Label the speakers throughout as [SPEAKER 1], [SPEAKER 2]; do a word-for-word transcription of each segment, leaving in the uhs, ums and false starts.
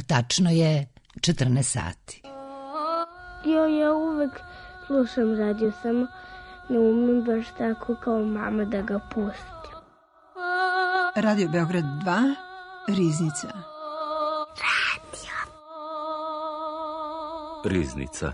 [SPEAKER 1] Tačno je četrnaest sati.
[SPEAKER 2] Jo, ja uvek slušam radio, samo ne umem baš tako kao mama da ga pustim.
[SPEAKER 3] Radio Beograd dva, Riznica.
[SPEAKER 2] Radio.
[SPEAKER 4] Riznica.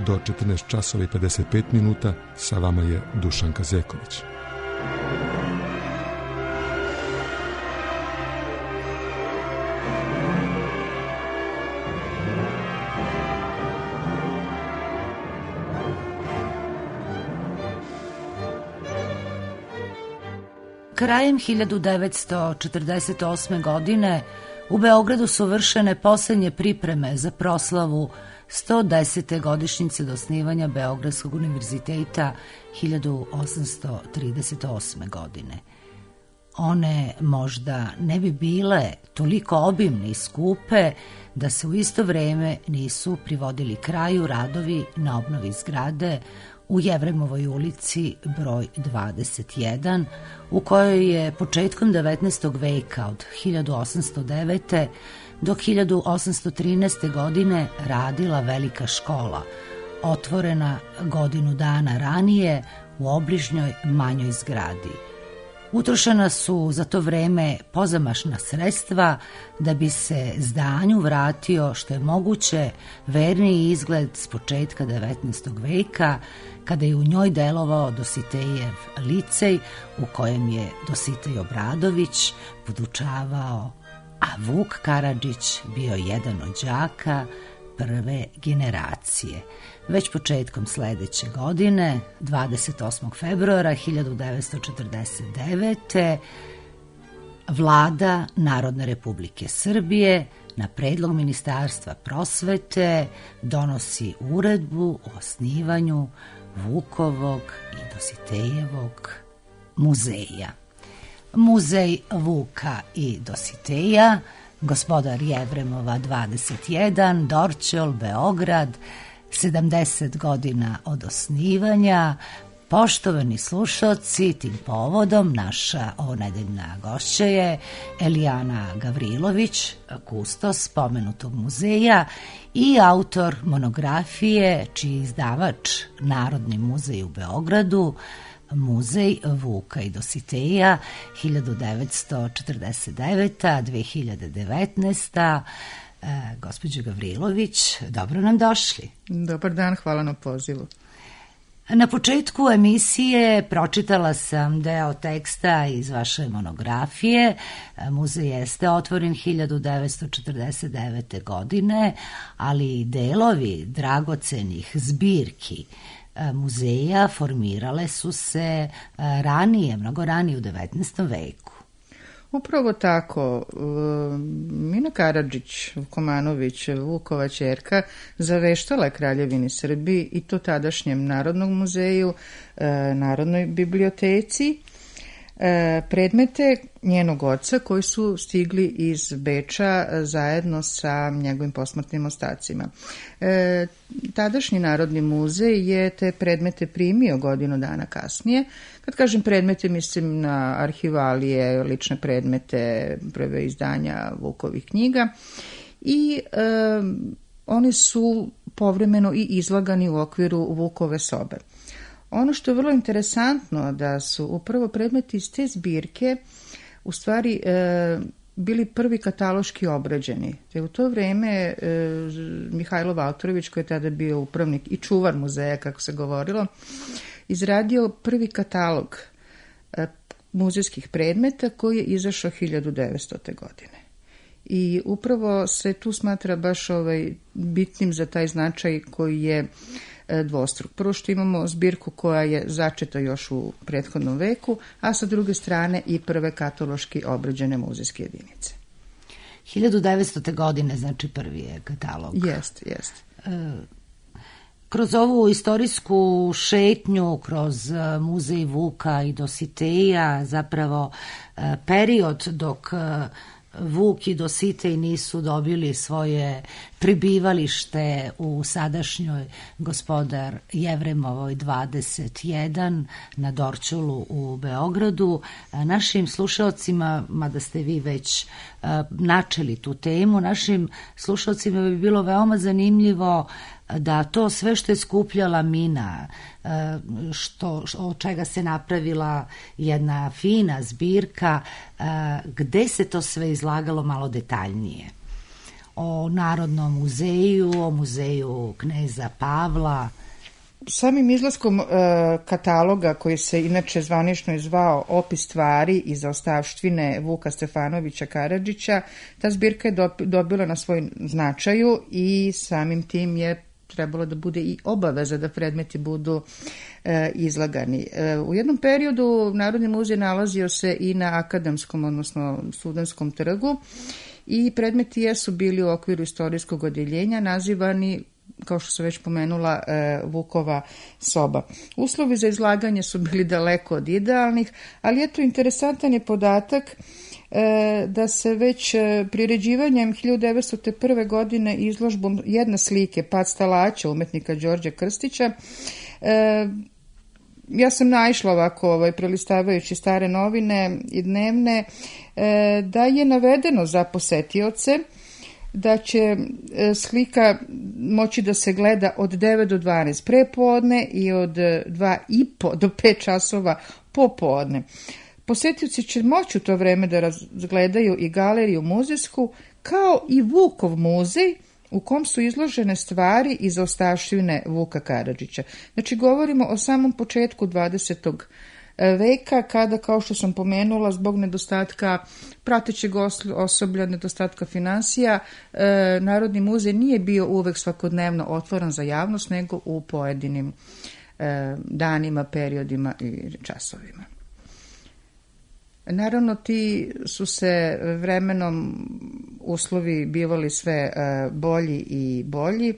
[SPEAKER 5] Do četrnaest časova i pedeset pet minuta sa vama je Dušan Kazeković.
[SPEAKER 1] Krajem hiljadu devetsto četrdeset osme. godine u Beogradu su vršene posljednje pripreme za proslavu sto desete godišnjice do osnivanja Beogradskog univerziteta hiljadu osamsto trideset osme. godine. One možda ne bi bile toliko obimne i skupe da se u isto vrijeme nisu privodili kraju radovi na obnovi zgrade u Jevremovoj ulici broj dvadeset jedan, u kojoj je početkom devetnaestog veka od hiljadu osamsto devete. do hiljadu osamsto trinaeste. godine radila velika škola, otvorena godinu dana ranije u obližnjoj manjoj zgradi. Utrošena su za to vreme pozamašna sredstva da bi se zdanju vratio što je moguće verniji izgled s početka devetnaestog veka, kada je u njoj delovao Dositejev licej u kojem je Dositej Obradović podučavao, a Vuk Karadžić bio jedan od đaka prve generacije. Već početkom sledeće godine, dvadeset osmog februara hiljadu devetsto četrdeset devete. Vlada Narodne Republike Srbije na predlog Ministarstva prosvete donosi uredbu o osnivanju Vukovog i Dositejevog muzeja. Muzej Vuka i Dositeja, Gospodar Jevremova dvadeset jedan, Dorćol, Beograd, sedamdeset godina od osnivanja. Poštovani slušalci, tim povodom naša ovonedeljna gošća je Elijana Gavrilović, kustos spomenutog muzeja i autor monografije čiji izdavač Narodni muzej u Beogradu, Muzej Vuka i Dositeja hiljadu devetsto četrdeset devete. do dve hiljade devetnaeste. E, gospođo Gavrilović, dobro nam došli.
[SPEAKER 6] Dobar dan, hvala na pozivu.
[SPEAKER 1] Na početku emisije pročitala sam deo teksta iz vaše monografije. Muzej jeste otvoren hiljadu devetsto četrdeset devete. godine, ali delovi dragocenih zbirki muzeja formirale su se ranije, mnogo ranije u devetnaestom veku.
[SPEAKER 6] Upravo tako. Mina Karadžić Vukomanović, Vukova ćerka, zaveštala je Kraljevini Srbiji i to tadašnjem Narodnom muzeju, Narodnoj biblioteci, predmete njenog oca koji su stigli iz Beča zajedno sa njegovim posmrtnim ostacima. E, tadašnji Narodni muzej je te predmete primio godinu dana kasnije. Kad kažem predmete, mislim na arhivalije, lične predmete, prve izdanja Vukovih knjiga i e, oni su povremeno i izlagani u okviru Vukove sobe. Ono što je vrlo interesantno da su upravo predmeti iz te zbirke u stvari e, bili prvi kataloški obrađeni. Te u to vreme e, Mihajlo Valtorović, koji je tada bio upravnik i čuvar muzeja, kako se govorilo, izradio prvi katalog e, muzejskih predmeta koji je izašao hiljadu devetstote. godine. I upravo se tu smatra baš ovaj bitnim za taj značaj koji je dvostruk. Prvo što imamo zbirku koja je začeta još u prethodnom veku, a sa druge strane i prve kataloški obrađene muzejske jedinice.
[SPEAKER 1] hiljadu devetstote. godine, znači prvi je katalog.
[SPEAKER 6] Jest, jest.
[SPEAKER 1] Kroz ovu istorijsku šetnju, kroz muzej Vuka i Dositeja, zapravo period dok Vuk i Dositej nisu dobili svoje pribivalište u sadašnjoj Gospodar Jevremovoj dvadeset jedan na Dorćolu u Beogradu. Našim slušaocima, mada ste vi već načeli tu temu, našim slušaocima bi bilo veoma zanimljivo da to sve što je skupljala Mina, što, od čega se napravila jedna fina zbirka, gde se to sve izlagalo malo detaljnije. O Narodnom muzeju, o muzeju kneza Pavla.
[SPEAKER 6] Samim izlaskom e, kataloga, koji se inače zvanično i zvao Opis stvari i zaostavštine Vuka Stefanovića Karadžića, ta zbirka je dobila na svoj značaju i samim tim je trebalo da bude i obaveza da predmeti budu e, izlagani. E, u jednom periodu Narodni muzej nalazio se i na Akademskom, odnosno Studentskom trgu, i predmeti jesu bili u okviru istorijskog odeljenja nazivani, kao što sam već pomenula, e, Vukova soba. Uslovi za izlaganje su bili daleko od idealnih, ali eto, interesantan je podatak e, da se već priređivanjem hiljadu devetsto prve. godine izložbom jedne slike Pad stalaća umetnika Đorđa Krstića, e, ja sam naišla ovako, ovaj, prelistavajući stare novine i dnevne, e, da je navedeno za posetioce da će slika moći da se gleda od devet do dvanaest prepodne i od dva i po do pet časova popodne. Posetioci će moći u to vreme da razgledaju i galeriju muzejsku, kao i Vukov muzej, u kom su izložene stvari iz ostavštine Vuka Karadžića. Znači, govorimo o samom početku dvadesetog veka, kada, kao što sam pomenula, zbog nedostatka pratećeg osoblja, nedostatka finansija, e, Narodni muzej nije bio uvek svakodnevno otvoren za javnost, nego u pojedinim e, danima, periodima i časovima. Naravno, ti su se vremenom uslovi bivali sve bolji i bolji.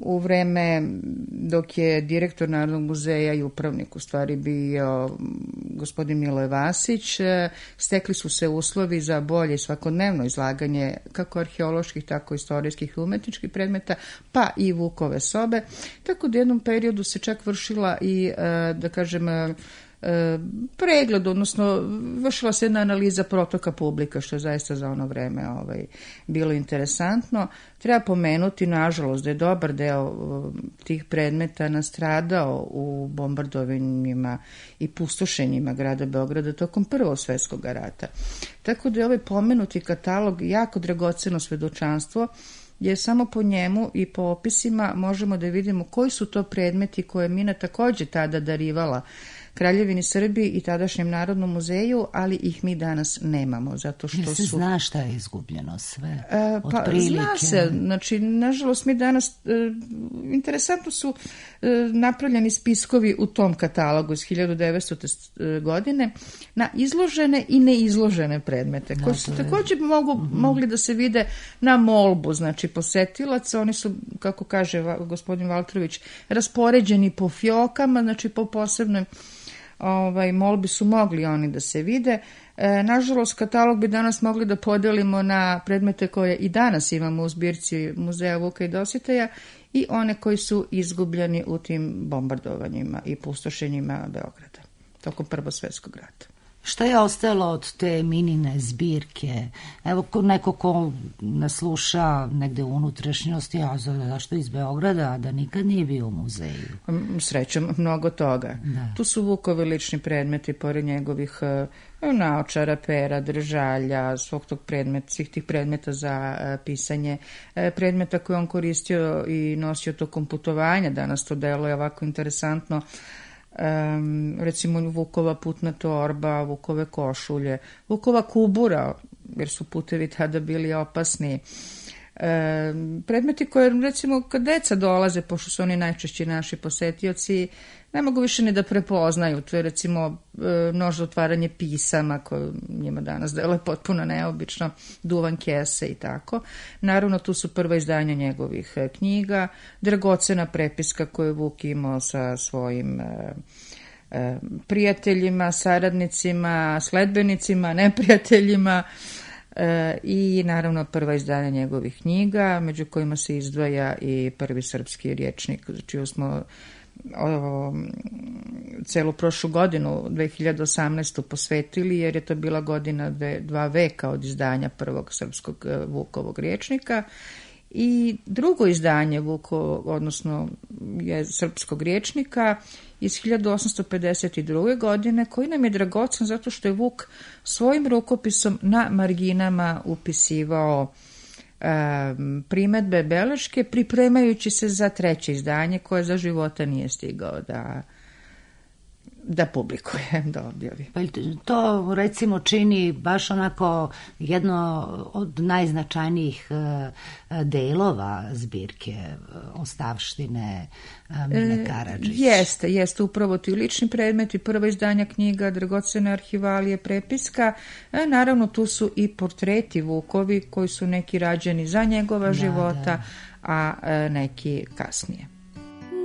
[SPEAKER 6] U vreme dok je direktor Narodnog muzeja i upravnik u stvari bio gospodin Miloje Vasić, stekli su se uslovi za bolje svakodnevno izlaganje kako arheoloških, tako istorijskih i umetničkih predmeta, pa i Vukove sobe. Tako da u jednom periodu se čak vršila i, da kažem, pregled, odnosno vršila se jedna analiza protoka publika, što je zaista za ono vreme ovaj, bilo interesantno. Treba pomenuti, nažalost, da je dobar deo tih predmeta nastradao u bombardovanjima i pustošenjima grada Beograda tokom Prvog svjetskog rata. Tako da je ovaj pomenuti katalog jako dragoceno svedočanstvo, jer samo po njemu i po opisima možemo da vidimo koji su to predmeti koje je Mina takođe tada darivala Kraljevini Srbiji i tadašnjem Narodnom muzeju, ali ih mi danas nemamo, zato što
[SPEAKER 1] Jel se
[SPEAKER 6] su...
[SPEAKER 1] zna šta je izgubljeno sve?
[SPEAKER 6] E, pa,
[SPEAKER 1] otprilike.
[SPEAKER 6] Zna se, znači, nažalost, mi danas, e, interesantno su e, napravljeni spiskovi u tom katalogu iz hiljadu devetstote. godine na izložene i neizložene predmete, koji su također mogu, mm-hmm. mogli da se vide na molbu, znači, posetilaca. Oni su, kako kaže gospodin Valtrović, raspoređeni po fjokama, znači, po posebnoj Ovaj, molbi su mogli oni da se vide. E, nažalost, katalog bi danas mogli da podelimo na predmete koje i danas imamo u zbirci Muzeja Vuka i Dositeja i one koji su izgubljeni u tim bombardovanjima i pustošenjima Beograda tokom Prvog svjetskog rata.
[SPEAKER 1] Šta je ostalo od te Minine zbirke? Evo, neko ko nas sluša negde u unutrašnjosti, a zašto iz Beograda, da nikad nije bio u muzeju?
[SPEAKER 6] Srećom, mnogo toga. Da. Tu su Vukovi lični predmeti, pored njegovih naočara, pera, držalja, svog tog predmeta, svih tih predmeta za pisanje, predmeta koje on koristio i nosio tokom putovanja. Danas to deluje ovako interesantno. Um, recimo Vukova putna torba, Vukove košulje, Vukova kubura, jer su putevi tada bili opasni, E, predmeti koje, recimo, kad deca dolaze, pošto su oni najčešći naši posetioci, ne mogu više ni da prepoznaju. To je, recimo, nož za otvaranje pisama, koje njima danas deluje potpuno neobično, duvan kese i tako. Naravno, tu su prva izdanja njegovih knjiga, dragocena prepiska koju je Vuk imao sa svojim e, e, prijateljima, saradnicima, sledbenicima, neprijateljima, e, i naravno prva izdanja njegovih knjiga, među kojima se izdvaja i prvi srpski rječnik, čiju smo O, celu prošlu godinu, dve hiljade osamnaestu posvetili, jer je to bila godina dve, dva veka od izdanja prvog srpskog Vukovog rječnika. I drugo izdanje Vukovog, odnosno je srpskog rječnika iz hiljadu osamsto pedeset druge. godine, koji nam je dragocen zato što je Vuk svojim rukopisom na marginama upisivao primedbe, beleške, pripremajući se za treće izdanje koje za života nije stigao da da publikuje, da objavi.
[SPEAKER 1] Pa to, recimo, čini baš onako jedno od najznačajnijih delova zbirke ostavštine Mine Karadžić.
[SPEAKER 6] E, jeste, jeste upravo ti lični predmeti, prva izdanja knjiga, dragocene arhivalije, prepiska. E, naravno, tu su i portreti Vukovi, koji su neki rađeni za njegova da, života, da. a e, neki kasnije.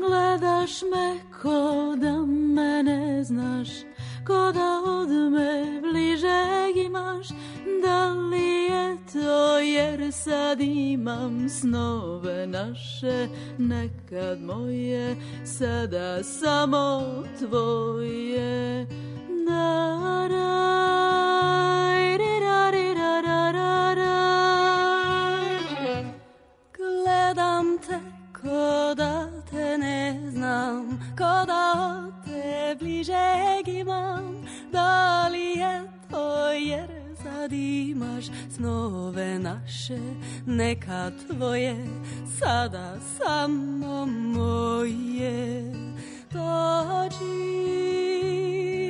[SPEAKER 4] Gledaš me ko da me ne znaš, ko da od me bližeg imaš. Da li je to jer sad imam snove naše, nekad moje, sada samo tvoje. Da, raj, ri, ra, ri, ra, ra, ra, ra. Gledam te ko da te ne znam, ko da te bližeg imam. Da li je to jer sad imaš snove naše, neka tvoje, sada samo moje. Dođi,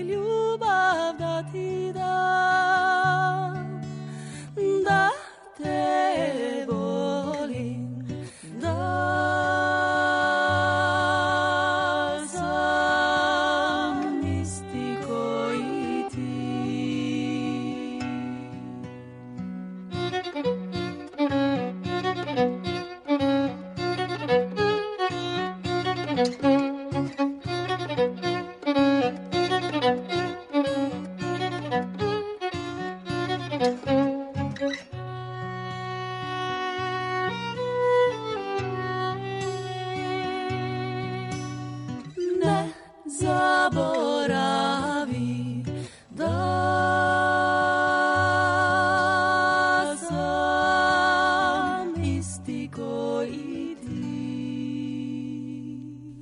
[SPEAKER 4] ljubav da ti dam, da te volim, da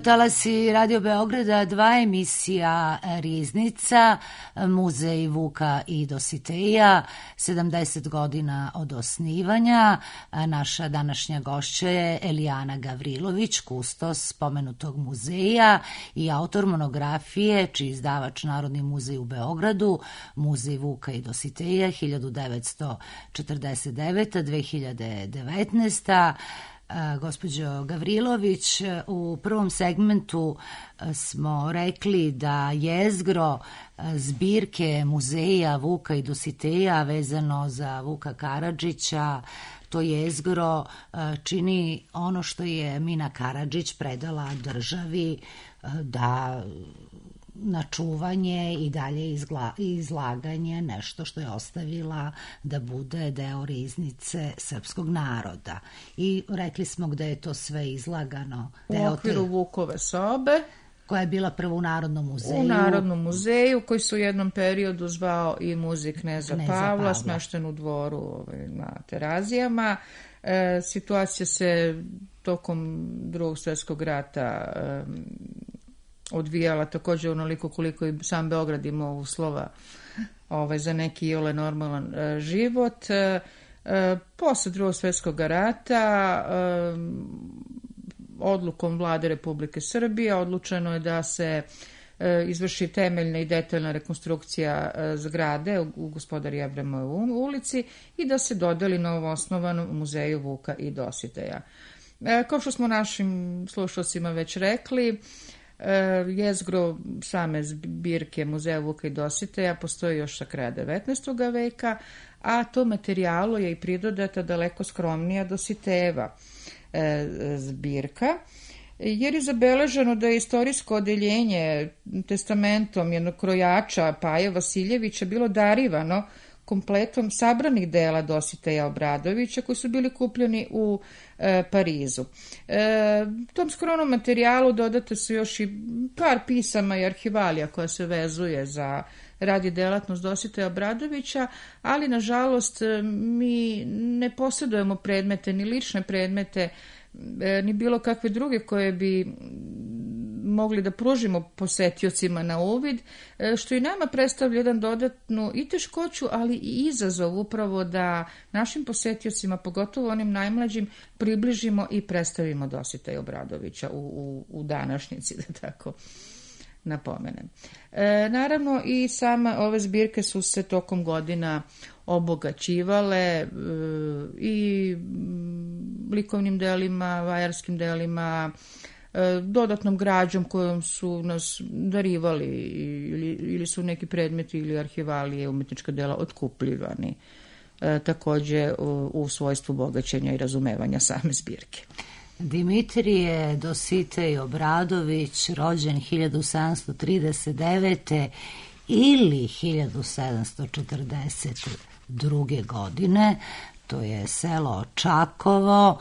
[SPEAKER 1] Talasi Radio Beograda, dva emisija Riznica, Muzej Vuka i Dositeja, sedamdeset godina od osnivanja. Naša današnja gošća je Elijana Gavrilović, kustos spomenutog muzeja i autor monografije, čiji izdavač Narodni muzej u Beogradu, Muzej Vuka i Dositeja hiljadu devetsto četrdeset deveta do dve hiljade devetnaeste. Gospođo Gavrilović, u prvom segmentu smo rekli da jezgro zbirke muzeja Vuka i Dositeja vezano za Vuka Karadžića, to jezgro čini ono što je Mina Karadžić predala državi da na čuvanje i dalje izgla, izlaganje, nešto što je ostavila da bude deo riznice srpskog naroda. I rekli smo gde je to sve izlagano.
[SPEAKER 6] U okviru te... Vukove sobe.
[SPEAKER 1] Koja je bila prvo u Narodnom muzeju.
[SPEAKER 6] U Narodnom muzeju, koji su u jednom periodu zvao i muzej Kneza, Kneza Pavla, Pavla, smešten u dvoru ovaj, na Terazijama. E, situacija se tokom Drugog svjetskog rata e, odvijala također onoliko koliko i sam Beograd imao uslova ovaj, za neki iole normalan e, život. E, e, posle Drugog svjetskog rata e, odlukom Vlade Republike Srbije odlučeno je da se izvrši temeljna i detaljna rekonstrukcija zgrade u Gospodari Abramove ulici i da se dodeli novoosnovanom muzeju Vuka i Dositeja. Kao što smo našim slušalcima već rekli, jezgro same zbirke Muzeja Vuka i Dositeja postoji još sa kraja devetnaestog veka, a to materijalu je i pridodata daleko skromnija Dositejeva zbirka, jer je zabeleženo da je istorijsko odeljenje testamentom jednog krojača Paje Vasiljevića bilo darivano kompletom sabranih dela Dositeja Obradovića koji su bili kupljeni u e, Parizu. E, tom skromnom materijalu dodate su još i par pisama i arhivalija koja se vezuje za rad i delatnost Dositeja Obradovića, ali nažalost mi ne posjedujemo predmete, ni lične predmete, ni bilo kakve druge koje bi mogli da pružimo posetiocima na uvid, što i nama predstavlja jedan dodatnu i teškoću, ali i izazov upravo da našim posetiocima, pogotovo onim najmlađim, približimo i predstavimo Dositeja Obradovića u, u, u današnjici, da tako napomenem. E, naravno i sama ove zbirke su se tokom godina obogaćivale e, i likovnim delima, vajarskim delima, e, dodatnom građom kojom su nas darivali ili, ili su neki predmeti ili arhivalije, umetnička dela otkupljivani e, takođe u, u svojstvu bogaćenja i razumevanja same zbirke.
[SPEAKER 1] Dimitrije Dositej Obradović, rođen hiljadu sedamsto trideset devete ili hiljadu sedamsto četrdeset druge. godine, to je selo Čakovo,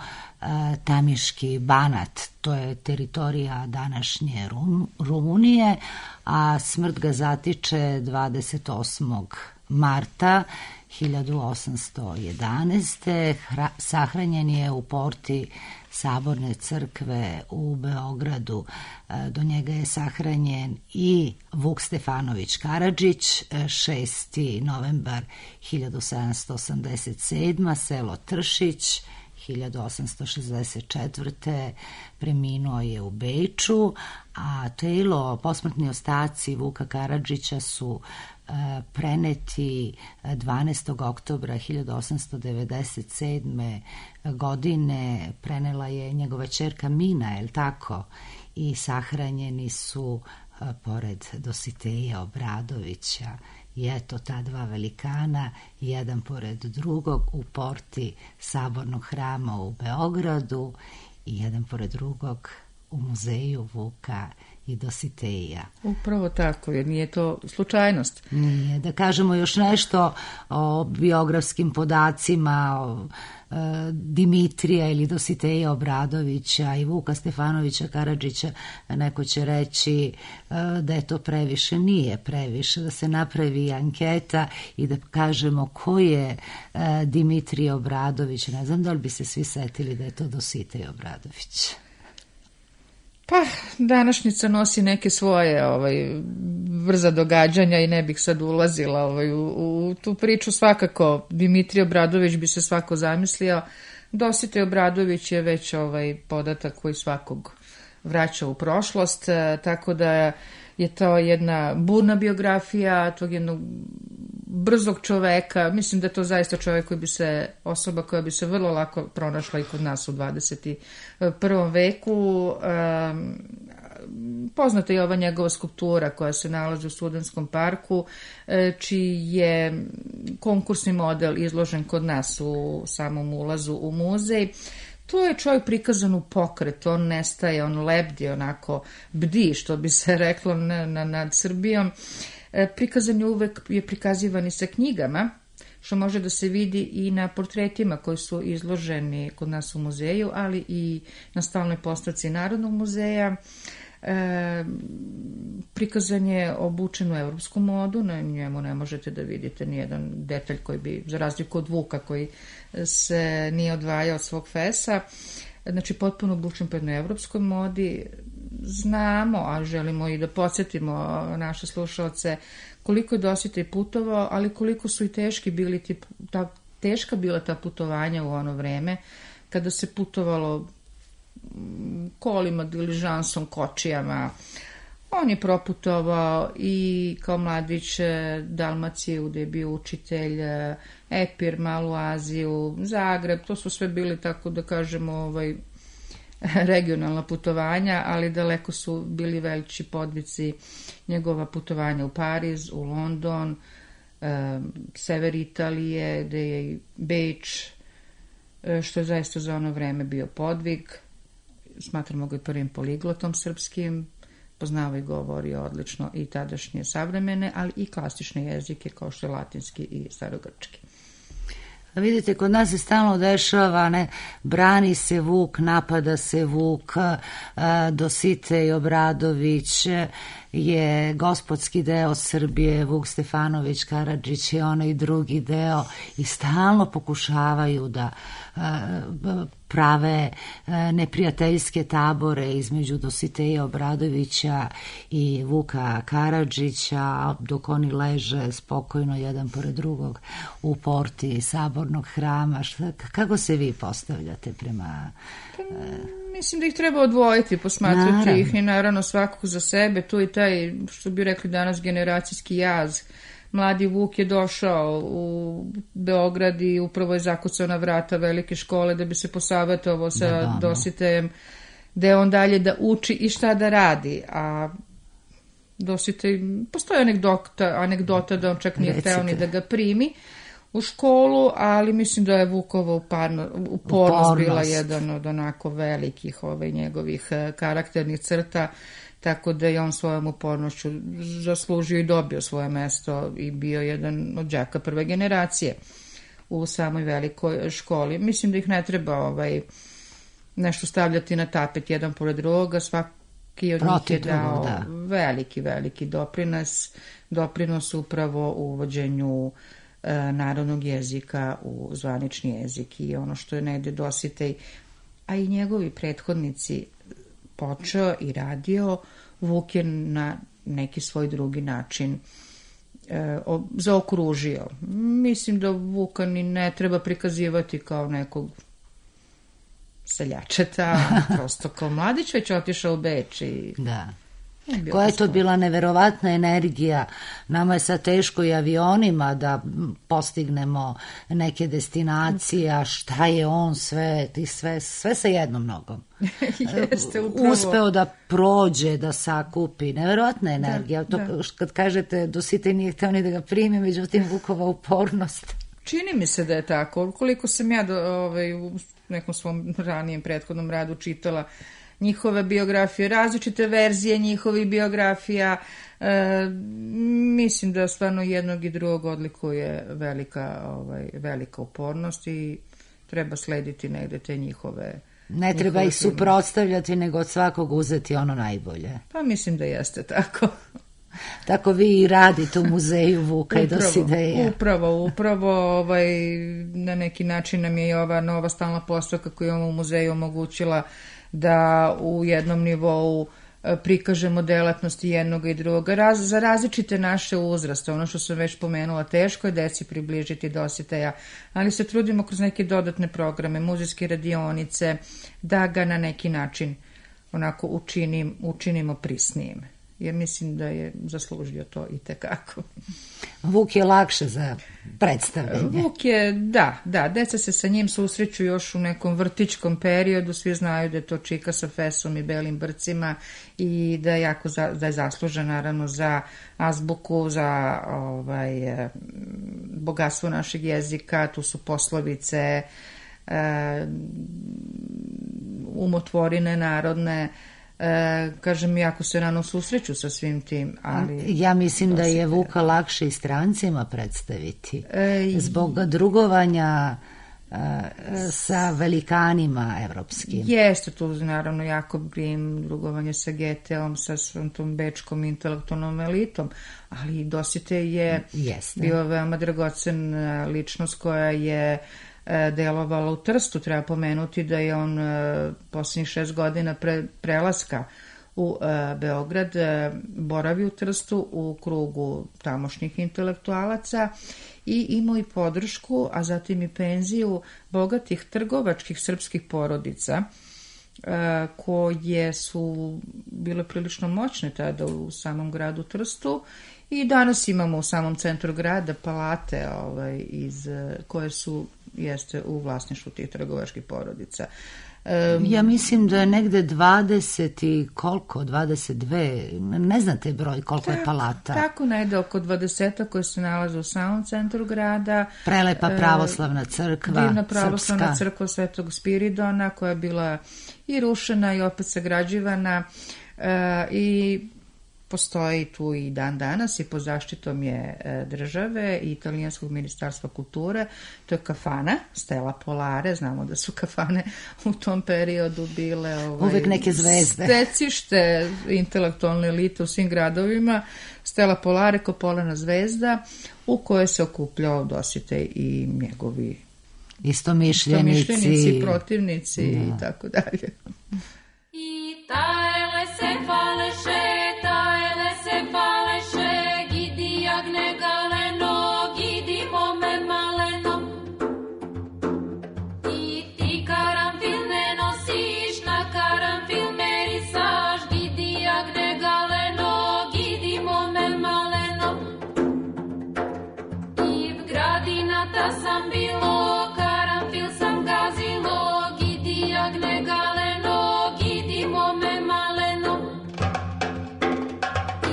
[SPEAKER 1] Tamiški Banat, to je teritorija današnje Rum, Rumunije, a smrt ga zatiče dvadeset osmog marta hiljadu osamsto jedanaeste. Hra, sahranjen je u porti Saborne crkve u Beogradu. Do njega je sahranjen i Vuk Stefanović Karadžić, šesti novembar hiljadu sedamsto osamdeset sedme. selo Tršić, hiljadu osamsto šezdeset četvrte. preminuo je u Beču, a telo, posmrtni ostaci Vuka Karadžića su preneti dvanaestog oktobra hiljadu osamsto devedeset sedme. godine, prenela je njegova ćerka Mina, je li tako? I sahranjeni su pored Dositeja Obradovića. I eto, ta dva velikana, jedan pored drugog u porti Sabornog hrama u Beogradu i jedan pored drugog u muzeju Vuka i Dositeja.
[SPEAKER 6] Upravo tako, jer nije to slučajnost.
[SPEAKER 1] Nije. Da kažemo još nešto o biografskim podacima, o e, Dimitrija ili Dositeja Obradovića i Vuka Stefanovića Karadžića. Neko će reći e, da je to previše. Nije previše, da se napravi anketa i da kažemo ko je e, Dimitrij Obradović. Ne znam da li bi se svi setili da je to Dositej Obradović.
[SPEAKER 6] Pa, današnjica nosi neke svoje ovaj, brza događanja i ne bih sad ulazila ovaj, u, u tu priču. Svakako, Dimitrij Obradović bi se svako zamislio. Dositej Obradović je već ovaj podatak koji svakog vraća u prošlost, tako da je to jedna burna biografija tog jednog brzog čoveka. Mislim da je to zaista čovek koji bi se, osoba koja bi se vrlo lako pronašla i kod nas u dvadeset prvom veku. Um, poznata je ova njegova skulptura koja se nalazi u Studentskom parku, čiji je konkursni model izložen kod nas u samom ulazu u muzej. To je čovjek prikazan u pokret, on nestaje, on lebdi, onako bdi, što bi se reklo na, na, nad Srbijom. E, prikazan je uvek, je prikazivan i sa knjigama, što može da se vidi i na portretima koji su izloženi kod nas u muzeju, ali i na stalnoj postavci Narodnog muzeja. E, prikazan je obučen u evropsku modu, na njemu ne možete da vidite nijedan detalj koji bi, za razliku od Vuka koji se nije odvajao od svog fesa, znači potpuno obučen po jednoj evropskoj modi. Znamo, a želimo i da podsjetimo naše slušalce koliko je Dositej putovao, ali koliko su i teški bili ti, ta, teška bila ta putovanja u ono vreme kada se putovalo kolima, diližansom, kočijama. On je proputovao i kao mladić Dalmaciju, gde je bio učitelj, Epir, Malu Aziju, Zagreb, to su sve bili, tako da kažemo, ovaj, regionalna putovanja, ali daleko su bili veći podvici njegova putovanja u Pariz, u London, e, sever Italije, gde je i Beč, e, što je zaista za ono vreme bio podvig. Smatramo ga i prvim poliglotom srpskim, poznava i govori odlično i tadašnje savremene, ali i klasične jezike kao što je latinski i starogrčki.
[SPEAKER 1] Vidite, kod nas se stalno dešava, ne, brani se Vuk, napada se Vuk, Dositej Obradović je gospodski deo Srbije, Vuk Stefanović Karadžić je onaj drugi deo i stalno pokušavaju da prave neprijateljske tabore između Dositeja Obradovića i Vuka Karadžića, dok oni leže spokojno jedan pored drugog u porti Sabornog hrama. Šta, kako se vi postavljate prema...
[SPEAKER 6] Mislim da ih treba odvojiti, posmatrati naravno. ih i naravno svakog za sebe. Tu i taj, što bi rekli danas, generacijski jaz. Mladi Vuk je došao u Beograd i upravo je zakucao na vrata velike škole da bi se posavetovao sa da, Dositejem, da je on dalje da uči i šta da radi. A Dositej, postoji anegdota, anegdota da on čak nije hteo ni da ga primi u školu, ali mislim da je Vukova uparno, upornost bila jedan od onako velikih ovaj, njegovih karakternih crta, tako da je on svojom upornošću zaslužio i dobio svoje mesto i bio jedan od đaka prve generacije u samoj velikoj školi. Mislim da ih ne treba ovaj, nešto stavljati na tapet jedan pored drugoga, svaki od njih je dao da. veliki, veliki doprinos, doprinos upravo u uvođenju narodnog jezika u zvanični jezik i ono što je negde Dositej, a i njegovi prethodnici počeo i radio, Vuk je na neki svoj drugi način e, zaokružio. Mislim da Vuka ni ne treba prikazivati kao nekog seljačeta, prosto kao mladić, već otišao u Beč i...
[SPEAKER 1] Da. Koja je to bila neverovatna energija. Nama je sad teško i avionima da postignemo neke destinacije, a šta je on sve, sve, sve sa jednom nogom.
[SPEAKER 6] Jeste, upravo.
[SPEAKER 1] Uspeo da prođe, da sakupi. Neverovatna energija. Da, to, da. Kad kažete Dositej nije hteo ni da ga primi, međutim Vukova upornost.
[SPEAKER 6] Čini mi se da je tako. Koliko sam ja do, ovaj, u nekom svom ranijem prethodnom radu čitala njihove biografije, različite verzije njihovih biografija, e, mislim da stvarno jednog i drugog odlikuje velika, ovaj, velika upornost i treba slediti negde te njihove...
[SPEAKER 1] Ne treba ih suprotstavljati, nego od svakog uzeti ono najbolje.
[SPEAKER 6] Pa mislim da jeste tako.
[SPEAKER 1] Tako vi i radite u muzeju Vuka i Dosideja.
[SPEAKER 6] Upravo, upravo ovaj, na neki način nam je i ova nova stalna postavka koju imamo u muzeju omogućila da u jednom nivou prikažemo delatnosti jednog i drugoga Raz, za različite naše uzraste. Ono što sam već pomenula, teško je deci približiti Dositeja, ali se trudimo kroz neke dodatne programe, muzejske radionice, da ga na neki način onako učinim, učinimo prisnijim. Jer mislim da je zaslužio to i tekako.
[SPEAKER 1] Vuk je lakše za predstavljanje.
[SPEAKER 6] Vuk je, da, da, deca se sa njim susreću još u nekom vrtićkom periodu, svi znaju da je to čika sa fesom i belim brcima i da je jako za, da je zaslužen naravno za azbuku, za ovaj, bogatstvo našeg jezika, tu su poslovice, umotvorine narodne, E, kažem, jako se rano susreću sa svim tim, ali...
[SPEAKER 1] Ja mislim da je Vuka lakše i strancima predstaviti. E, zbog drugovanja e, sa velikanima evropskim.
[SPEAKER 6] Jeste tu, naravno, Jakob Grimm, drugovanje sa Geteom, sa svom tom bečkom intelektualnom elitom, ali Dositej je Jeste. bio veoma dragocen ličnost koja je delovala u Trstu. Treba pomenuti da je on posljednjih šest godina pre, prelaska u e, Beograd e, boravi u Trstu u krugu tamošnjih intelektualaca i imao i podršku, a zatim i penziju bogatih trgovačkih srpskih porodica koje su bile prilično moćne tada u samom gradu Trstu i danas imamo u samom centru grada palate ovaj, iz, koje su jeste u vlasništvu tih trgovačkih porodica.
[SPEAKER 1] Ja mislim da je negde dvadeset i koliko, dvadeset dve, ne znate broj koliko
[SPEAKER 6] tako,
[SPEAKER 1] je palata.
[SPEAKER 6] Tako negde oko dvadeseta koje se nalaze u samom centru grada.
[SPEAKER 1] Prelepa pravoslavna crkva,
[SPEAKER 6] divna pravoslavna
[SPEAKER 1] srpska.
[SPEAKER 6] crkva Svetog Spiridona koja je bila i rušena i opet sagrađivana e, i postoji tu i dan danas i pod zaštitom je države i italijanskog ministarstva kulture. To je kafana Stella Polare. Znamo da su kafane u tom periodu bile ovaj,
[SPEAKER 1] uvek neke zvezde.
[SPEAKER 6] Stecište intelektualne elite u svim gradovima. Stella Polare kao polena zvezda u kojoj se okupljao Dositej i njegovi
[SPEAKER 1] istomišljenici,
[SPEAKER 6] istomišljenici protivnici da. I tako dalje.
[SPEAKER 4] I tajle se faleše, tajle se faleše, gidi jagne galeno, gidi mome maleno. I ti karanfil ne nosiš, na karanfil merisaš, gidi jagne galeno, gidi mome maleno. I v gradinata sam bilo, karanfil sam gazilo, gidi jagne galeno, gidi mome maleno.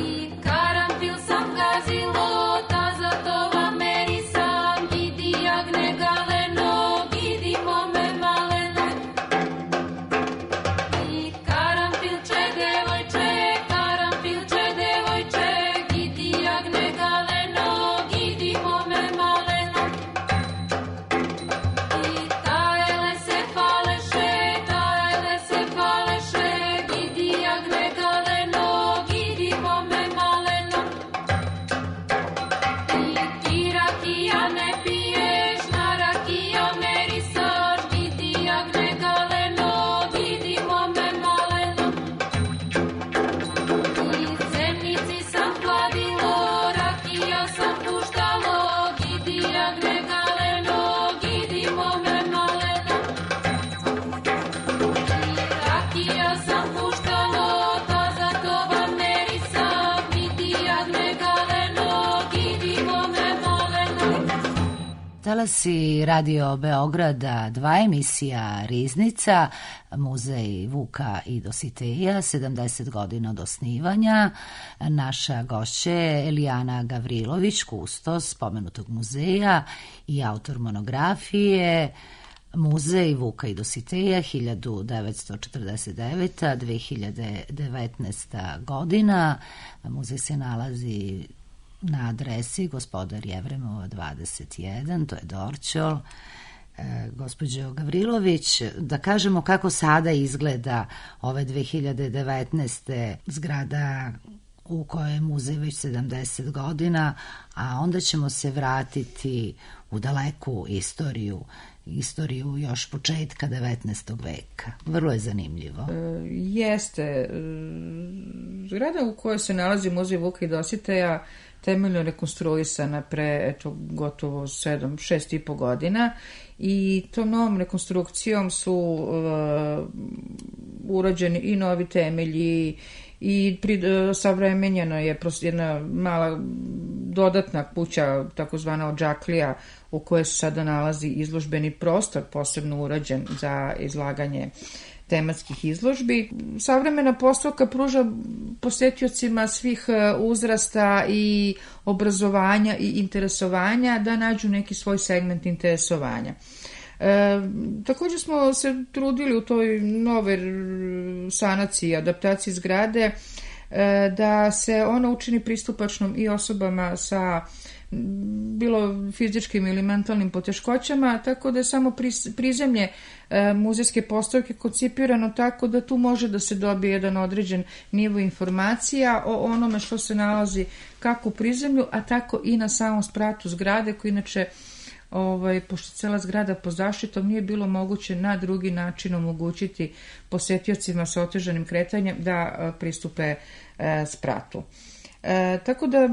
[SPEAKER 4] I karanfil sam gazilo, ta za to vam merisam, gidi jagne galeno, gidi mome maleno. I karanfilče devojče, karanfilče devojče, gidi jagne galeno, gidi mome maleno. I tajle se faleše, tajle se faleše, gidi jagne galeno, gidi mome maleno. I ti rakija ne piješ, na rakija merisaš, gidi jagne galeno, gidi mome maleno. I zemnici sam hladilo, rakija sam puštalo, gidi jagne galeno, gidi mome maleno. I rakija sam puštalo, ta za to vam merisam, gidi jagne galeno, gidi mome maleno.
[SPEAKER 1] Talasi Radio Beograda, dva emisija Riznica, muzej Vuka i Dositeja, sedamdeset godina od osnivanja. Naša gošća je Elijana Gavrilović, kustos spomenutog muzeja i autor monografije Muzej Vuka i Dositeja hiljadu devetsto četrdeset deveta do dve hiljade devetnaesta godina. Muzej se nalazi na adresi Gospodar Jevremova dvadeset jedan, to je Dorćol. E, gospođo Gavrilović, da kažemo kako sada izgleda ove dve hiljade devetnaeste zgrada u kojoj je muzej već sedamdeset godina, a onda ćemo se vratiti u daleku istoriju, istoriju još početka devetnaestog veka. Vrlo je zanimljivo.
[SPEAKER 6] E, jeste. Zgrada u kojoj se nalazi muzej Vuka i Dositeja temeljno rekonstruisana pre eto, gotovo sedam, šest i po godina i tom novom rekonstrukcijom su uh, urađeni i novi temelji i pri, uh, savremenjena je jedna mala dodatna kuća, takozvana odžaklija, u kojoj se sada nalazi izložbeni prostor, posebno urađen za izlaganje tematskih izložbi. Savremena postavka pruža posetiocima svih uzrasta i obrazovanja i interesovanja da nađu neki svoj segment interesovanja. E, također smo se trudili u toj nove sanaciji, adaptaciji zgrade, e, da se ona učini pristupačnom i osobama sa bilo fizičkim ili mentalnim poteškoćama, tako da je samo prizemlje e, muzejske postavke koncipirano tako da tu može da se dobije jedan određen nivo informacija o onome što se nalazi kako u prizemlju, a tako i na samom spratu zgrade, koji inače, ovaj, pošto cela zgrada pod zaštitom, nije bilo moguće na drugi način omogućiti posetiocima sa otežanim kretanjem da a, pristupe a, spratu. E, tako da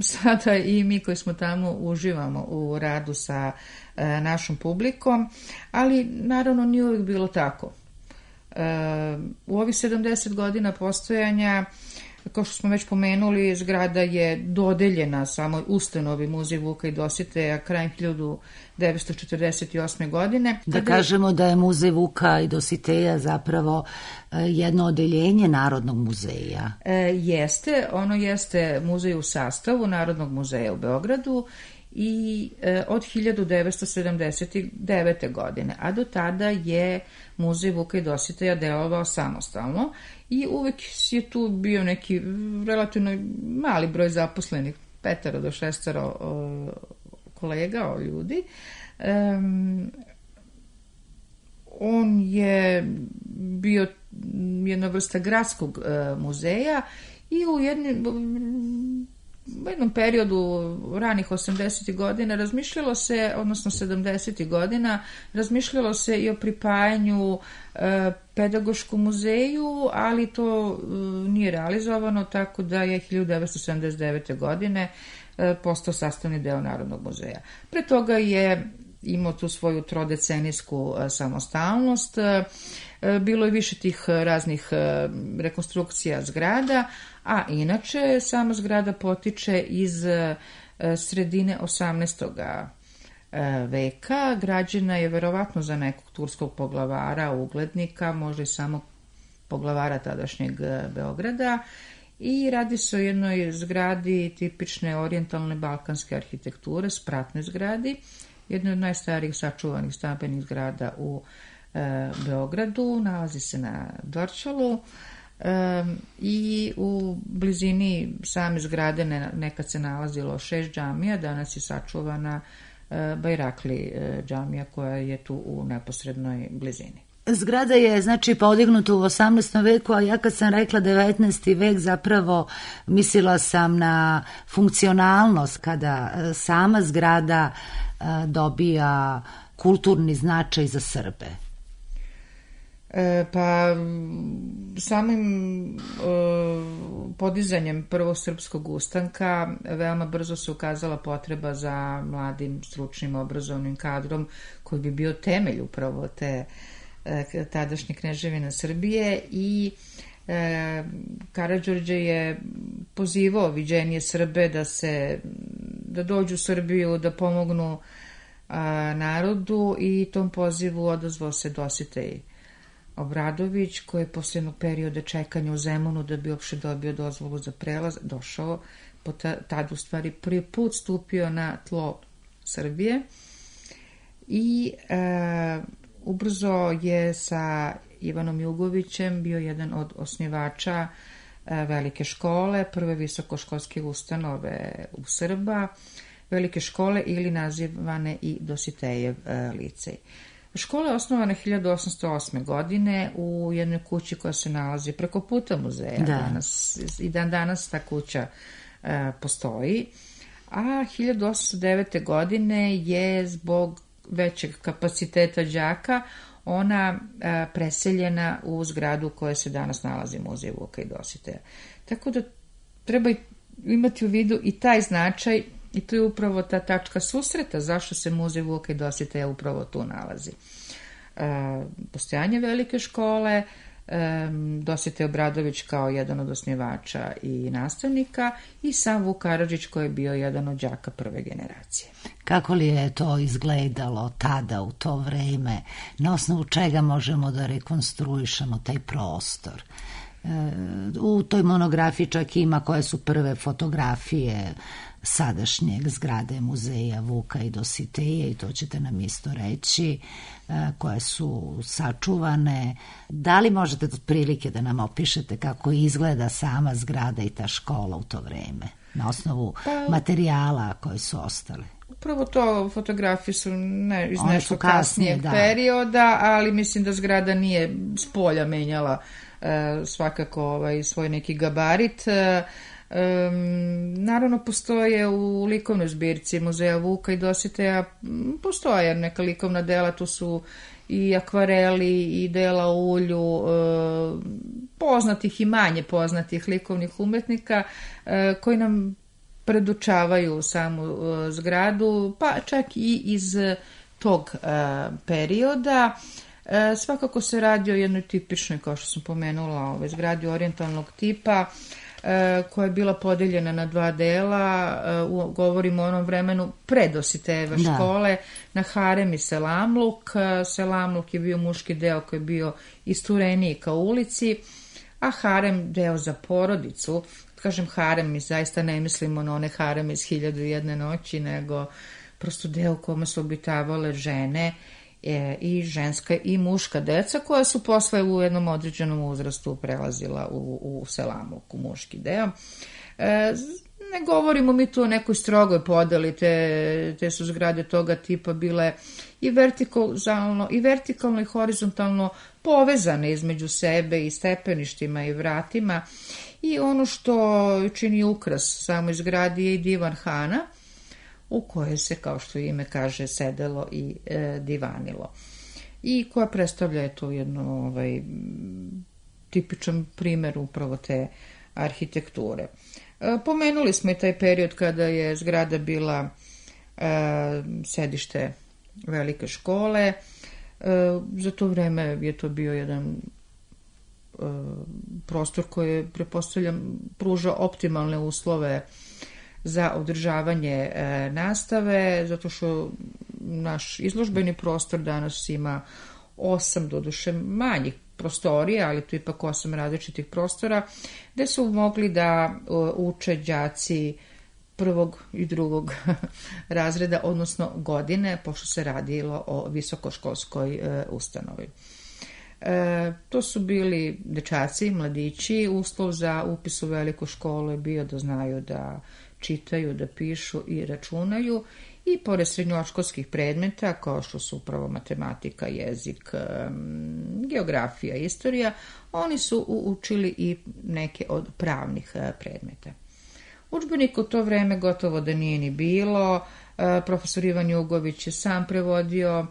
[SPEAKER 6] sada i mi koji smo tamo uživamo u radu sa e, našom publikom, ali naravno nije uvijek bilo tako. U ovih sedamdeset godina postojanja, kao što smo već pomenuli, zgrada je dodeljena samoj ustanovi Muzej Vuka i Dositeja krajem hiljadu devetsto četrdeset osme. godine.
[SPEAKER 1] Da kažemo da je Muzej Vuka i Dositeja zapravo jedno odeljenje Narodnog muzeja.
[SPEAKER 6] E, jeste, ono jeste muzej u sastavu Narodnog muzeja u Beogradu i e, od hiljadu devetsto sedamdeset devete. godine, a do tada je Muzej Vuka i Dositeja delovao samostalno i uvek je tu bio neki relativno mali broj zaposlenih, petero do šestero o, kolega, o ljudi. Um, on je bio jedna vrsta gradskog uh, muzeja i u jednim u jednom periodu ranih osamdesetih godina razmišljalo se, odnosno sedamdesetih godina, razmišljalo se i o pripajanju e, pedagoškom muzeju, ali to e, nije realizovano, tako da je hiljadu devetsto sedamdeset devete. godine e, postao sastavni deo Narodnog muzeja. Pre toga je imao tu svoju trodecenijsku e, samostalnost. E, bilo je više tih raznih e, rekonstrukcija zgrada, a inače sama zgrada potiče iz e, sredine osamnaestog veka. Građena je verovatno za nekog turskog poglavara, uglednika, možda i samog poglavara tadašnjeg Beograda, i radi se o jednoj zgradi tipične orijentalne balkanske arhitekture, spratnoj zgradi, jednoj od najstarijih sačuvanih stambenih zgrada u e, Beogradu, nalazi se na Dorćolu. E, i u blizini same zgrade ne, nekad se nalazilo šest džamija, danas je sačuvana e, Bajrakli e, džamija koja je tu u neposrednoj blizini.
[SPEAKER 1] Zgrada je znači podignuta u osamnaestom veku, a ja kad sam rekla devetnaesti vek zapravo mislila sam na funkcionalnost kada sama zgrada e, dobija kulturni značaj za Srbe.
[SPEAKER 6] E, pa samim e, podizanjem prvog srpskog ustanka veoma brzo se ukazala potreba za mladim, stručnim, obrazovnim kadrom koji bi bio temelj upravo te e, tadašnje kneževine Srbije, i e, Karađorđe je pozivao viđenije Srbe da se da dođu u Srbiju, da pomognu a, narodu, i tom pozivu odazvao se Dositej Obradović, koji je posle jednog perioda čekanja u Zemunu da bi uopšte dobio dozvolu za prelaz došao, po tad u stvari prvi put stupio na tlo Srbije i e, ubrzo je sa Ivanom Jugovićem bio jedan od osnivača e, velike škole, prve visokoškolske ustanove u Srba, velike škole ili nazivane i Dositejev e, licej. Škola je osnovana hiljadu osamsto osme. godine u jednoj kući koja se nalazi preko puta muzeja. Da. Danas, i dan danas ta kuća e, postoji. A hiljadu osamsto devete. godine je zbog većeg kapaciteta đaka ona e, preseljena u zgradu u kojoj se danas nalazi Muzej Vuka i Dositeja. Tako da treba imati u vidu i taj značaj. I to je upravo ta tačka susreta zašto se Muzej Vuka i Dositeja upravo tu nalazi. E, postojanje velike škole, e, Dositej Obradović kao jedan od osnivača i nastavnika, i sam Vuk Karadžić koji je bio jedan od đaka prve generacije.
[SPEAKER 1] Kako li je to izgledalo tada u to vreme? Na osnovu čega možemo da rekonstruišemo taj prostor? E, u toj monografiji čak ima koje su prve fotografije sadašnjeg zgrade Muzeja Vuka i Dositeja, i to ćete nam isto reći, koje su sačuvane. Da li možete otprilike da nam opišete kako izgleda sama zgrada i ta škola u to vreme, na osnovu pa, materijala koji su ostali?
[SPEAKER 6] Upravo to, fotografije su ne, iz nešto kasnijeg da. perioda, ali mislim da zgrada nije s polja menjala e, svakako ovaj, svoj neki gabarit. E, Um, naravno postoje u likovnoj zbirci Muzeja Vuka i Dositeja, postoje neka likovna dela, tu su i akvareli i dela u ulju uh, poznatih i manje poznatih likovnih umetnika uh, koji nam predučavaju samu uh, zgradu, pa čak i iz tog uh, perioda. E, svakako se radi o jednoj tipičnoj, kao što sam pomenula, ove, zgradi orijentalnog tipa, e, koja je bila podeljena na dva dela, e, u, govorimo o onom vremenu pre Dositejeve
[SPEAKER 1] Da.
[SPEAKER 6] škole, na harem i selamluk. E, selamluk je bio muški deo koji je bio istureniji ka ulici, a harem deo za porodicu. Kažem harem, mi zaista ne mislimo na one hareme iz Hiljadu i jedne noći, nego prosto deo u kome su obitavale žene e, i ženska i muška deca, koja su posle u jednom određenom uzrastu prelazila u, u selamluk, u muški deo. E, ne govorimo mi tu o nekoj strogoj podeli, te, te su zgrade toga tipa bile i vertikalno, i vertikalno i horizontalno povezane između sebe i stepeništima i vratima. I ono što čini ukras samoj zgradi je i divan hana, u kojoj se, kao što ime kaže, sedelo i e, divanilo. I koja predstavlja eto jedno ovaj, tipičan primjer upravo te arhitekture. E, pomenuli smo i taj period kada je zgrada bila e, sedište velike škole. E, za to vreme je to bio jedan prostor koji, pretpostavljam, pruža optimalne uslove za održavanje e, nastave, zato što naš izložbeni prostor danas ima osam, doduše manjih prostorija, ali tu ipak osam različitih prostora, gde su mogli da o, uče đaci prvog i drugog razreda, odnosno godine, pošto se radilo o visokoškolskoj e, ustanovi. E, to su bili dečaci, mladići. Uslov za upis u veliku školu je bio da znaju da čitaju, da pišu i računaju, i pored srednjoškolskih predmeta kao što su upravo matematika, jezik, geografija, istorija, oni su učili i neke od pravnih predmeta. Udžbenika u to vreme gotovo da nije ni bilo. E, profesor Ivan Jugović je sam prevodio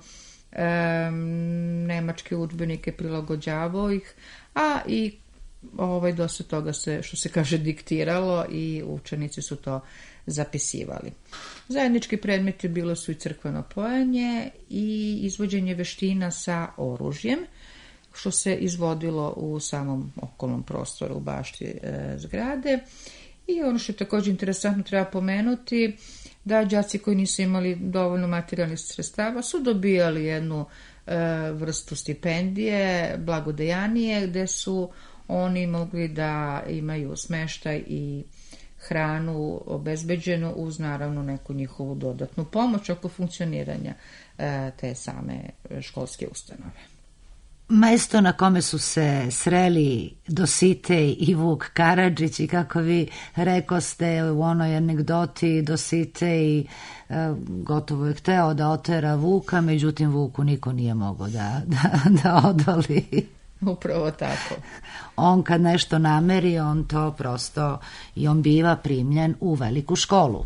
[SPEAKER 6] E, nemačke udžbenike, prilagođavao ih, a i ovaj, dosta toga se, što se kaže, diktiralo i učenici su to zapisivali. Zajednički predmeti bilo su i crkveno pojanje i izvođenje veština sa oružjem, što se izvodilo u samom okolnom prostoru u bašti e, zgrade. I ono što je također interesantno treba pomenuti, da đaci koji nisu imali dovoljno materijalnih sredstava su dobijali jednu e, vrstu stipendije, blagodejanije, gde su oni mogli da imaju smeštaj i hranu obezbeđenu uz naravno neku njihovu dodatnu pomoć oko funkcioniranja e, te same školske ustanove.
[SPEAKER 1] Mesto na kome su se sreli Dositej i Vuk Karadžić, i kako vi rekoste u onoj anegdoti, Dositej e, gotovo je hteo da otera Vuka, međutim Vuku niko nije mogao da, da, da odoli.
[SPEAKER 6] Upravo tako.
[SPEAKER 1] On kad nešto nameri, on to prosto, i on biva primljen u veliku školu.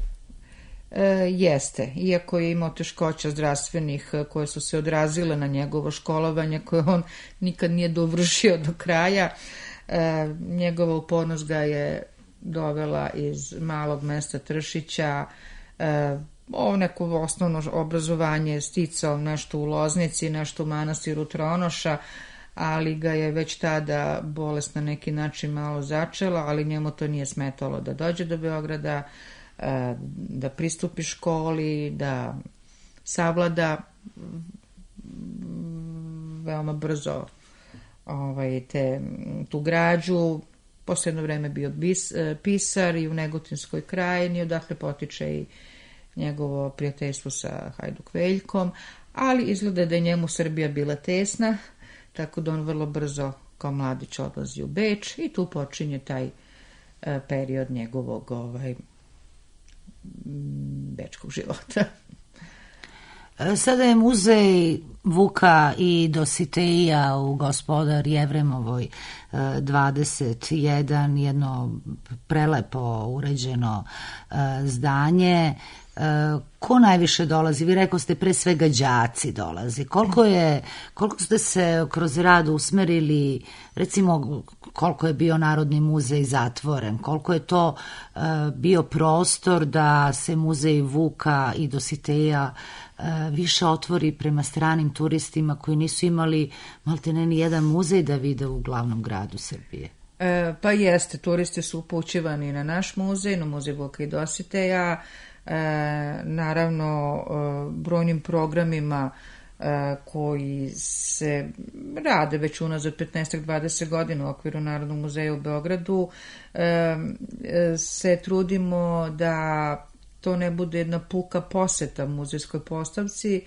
[SPEAKER 6] E, jeste, iako je imao teškoća zdravstvenih koje su se odrazile na njegovo školovanje, koje on nikad nije dovršio do kraja. E, njegova upornost ga je dovela iz malog mesta Tršića. E, ovo neko osnovno obrazovanje je sticao nešto u Loznici, nešto u manastiru Tronoša, ali ga je već tada bolest na neki način malo začela, ali njemu to nije smetalo da dođe do Beograda, da pristupi školi, da savlada veoma brzo ovaj, te, tu građu. Posle jedno vreme bio bis, pisar i u Negotinskoj krajini, odakle potiče i njegovo prijateljstvo sa Hajduk Veljkom, ali izgleda da je njemu Srbija bila tesna, tako da on vrlo brzo kao mladić odlazi u Beč i tu počinje taj uh, period njegovog ovaj, bečkog života.
[SPEAKER 1] Sada je muzej Vuka i Dositeja u Gospodar Jevremovoj dvadeset jedan, jedno prelepo uređeno zdanje. Ko najviše dolazi? Vi rekao ste pre svega đaci dolazi. Koliko je, koliko ste se kroz rad usmerili, recimo koliko je bio Narodni muzej zatvoren, koliko je to uh, bio prostor da se muzej Vuka i Dositeja uh, više otvori prema stranim turistima koji nisu imali maltene ni jedan muzej da vide u glavnom gradu Srbije.
[SPEAKER 6] E, pa jeste, turisti su upućivani na naš muzej, na muzej Vuka i Dositeja, e, naravno e, brojnim programima e, koji se rade već unazad petnaest do dvadeset godina u okviru Narodnog muzeja u Beogradu, e, e, se trudimo da to ne bude jedna puka poseta muzejskoj postavci,